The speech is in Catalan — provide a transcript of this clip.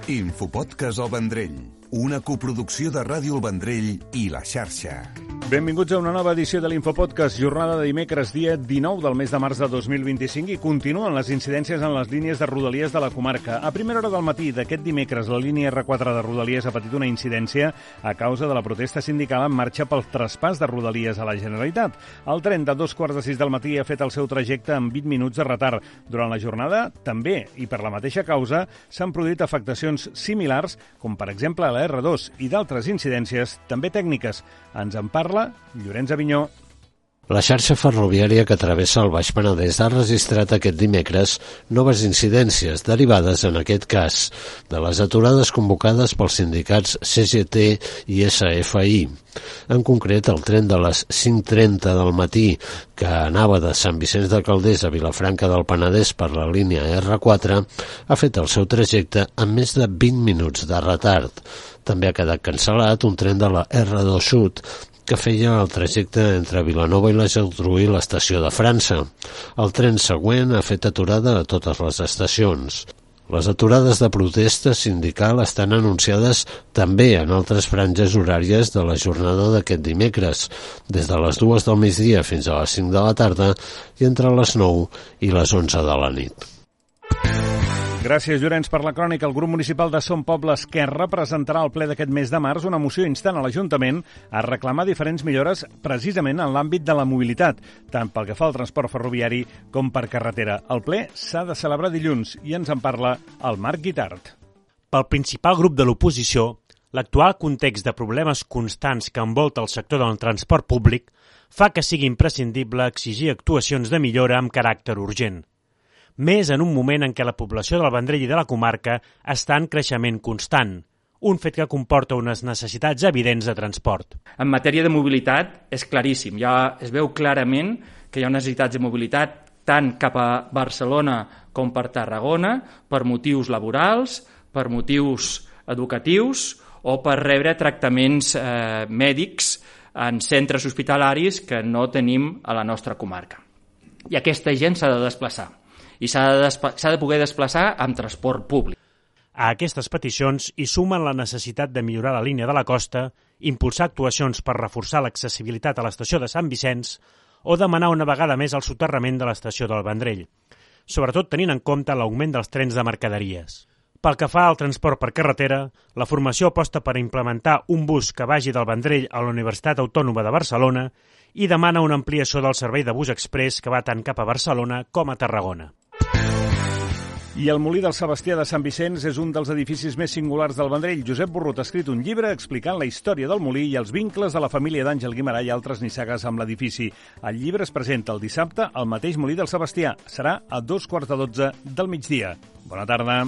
Infopodcast El Vendrell, una coproducció de Ràdio El Vendrell i La Xarxa. Benvinguts a una nova edició de l'Infopodcast, jornada de dimecres, dia 19 del mes de març de 2025, i continuen les incidències en les línies de Rodalies de la comarca. A primera hora del matí d'aquest dimecres, la línia R4 de Rodalies ha patit una incidència a causa de la protesta sindical en marxa pel traspàs de Rodalies a la Generalitat. El tren de 2:45 del matí ha fet el seu trajecte amb 20 minuts de retard. Durant la jornada, també, i per la mateixa causa, s'han produït afectacions similars, com per exemple a la R2, i d'altres incidències, també tècniques. Ens en parla Llorenç Avinyó. La xarxa ferroviària que travessa el Baix Penedès ha registrat aquest dimecres noves incidències derivades, en aquest cas, de les aturades convocades pels sindicats CGT i SFI. En concret, el tren de les 5:30 del matí, que anava de Sant Vicenç de Calders a Vilafranca del Penedès per la línia R4, ha fet el seu trajecte amb més de 20 minuts de retard. També ha quedat cancel·lat un tren de la R2 Sud, que feia el trajecte entre Vilanova i la Geltrú i l'estació de França. El tren següent ha fet aturada a totes les estacions. Les aturades de protesta sindical estan anunciades també en altres franges horàries de la jornada d'aquest dimecres, des de les 2 del migdia fins a les 5 de la tarda i entre les 9 i les 11 de la nit. Gràcies, Llorenç, per la crònica. El grup municipal de Som Poble Esquerra presentarà al ple d'aquest mes de març una moció instant a l'Ajuntament a reclamar diferents millores precisament en l'àmbit de la mobilitat, tant pel que fa al transport ferroviari com per carretera. El ple s'ha de celebrar dilluns i ens en parla el Marc Guitart. Pel principal grup de l'oposició, l'actual context de problemes constants que envolta el sector del transport públic fa que sigui imprescindible exigir actuacions de millora amb caràcter urgent. Més en un moment en què la població del Vendrell i de la comarca està en creixement constant, un fet que comporta unes necessitats evidents de transport. En matèria de mobilitat és claríssim, ja es veu clarament que hi ha necessitats de mobilitat tant cap a Barcelona com per Tarragona, per motius laborals, per motius educatius o per rebre tractaments mèdics en centres hospitalaris que no tenim a la nostra comarca. I aquesta gent s'ha de desplaçar. I s'ha de poder desplaçar amb transport públic. A aquestes peticions hi sumen la necessitat de millorar la línia de la costa, impulsar actuacions per reforçar l'accessibilitat a l'estació de Sant Vicenç o demanar una vegada més el soterrament de l'estació del Vendrell, sobretot tenint en compte l'augment dels trens de mercaderies. Pel que fa al transport per carretera, la formació aposta per implementar un bus que vagi del Vendrell a la Universitat Autònoma de Barcelona i demana una ampliació del servei de bus express que va tant cap a Barcelona com a Tarragona. I el Molí del Sebastià de Sant Vicenç és un dels edificis més singulars del Vendrell. Josep Borrut ha escrit un llibre explicant la història del molí i els vincles de la família d'Àngel Guimerà i altres nissagues amb l'edifici. El llibre es presenta el dissabte al mateix Molí del Sebastià. Serà a 2:15 del migdia. Bona tarda.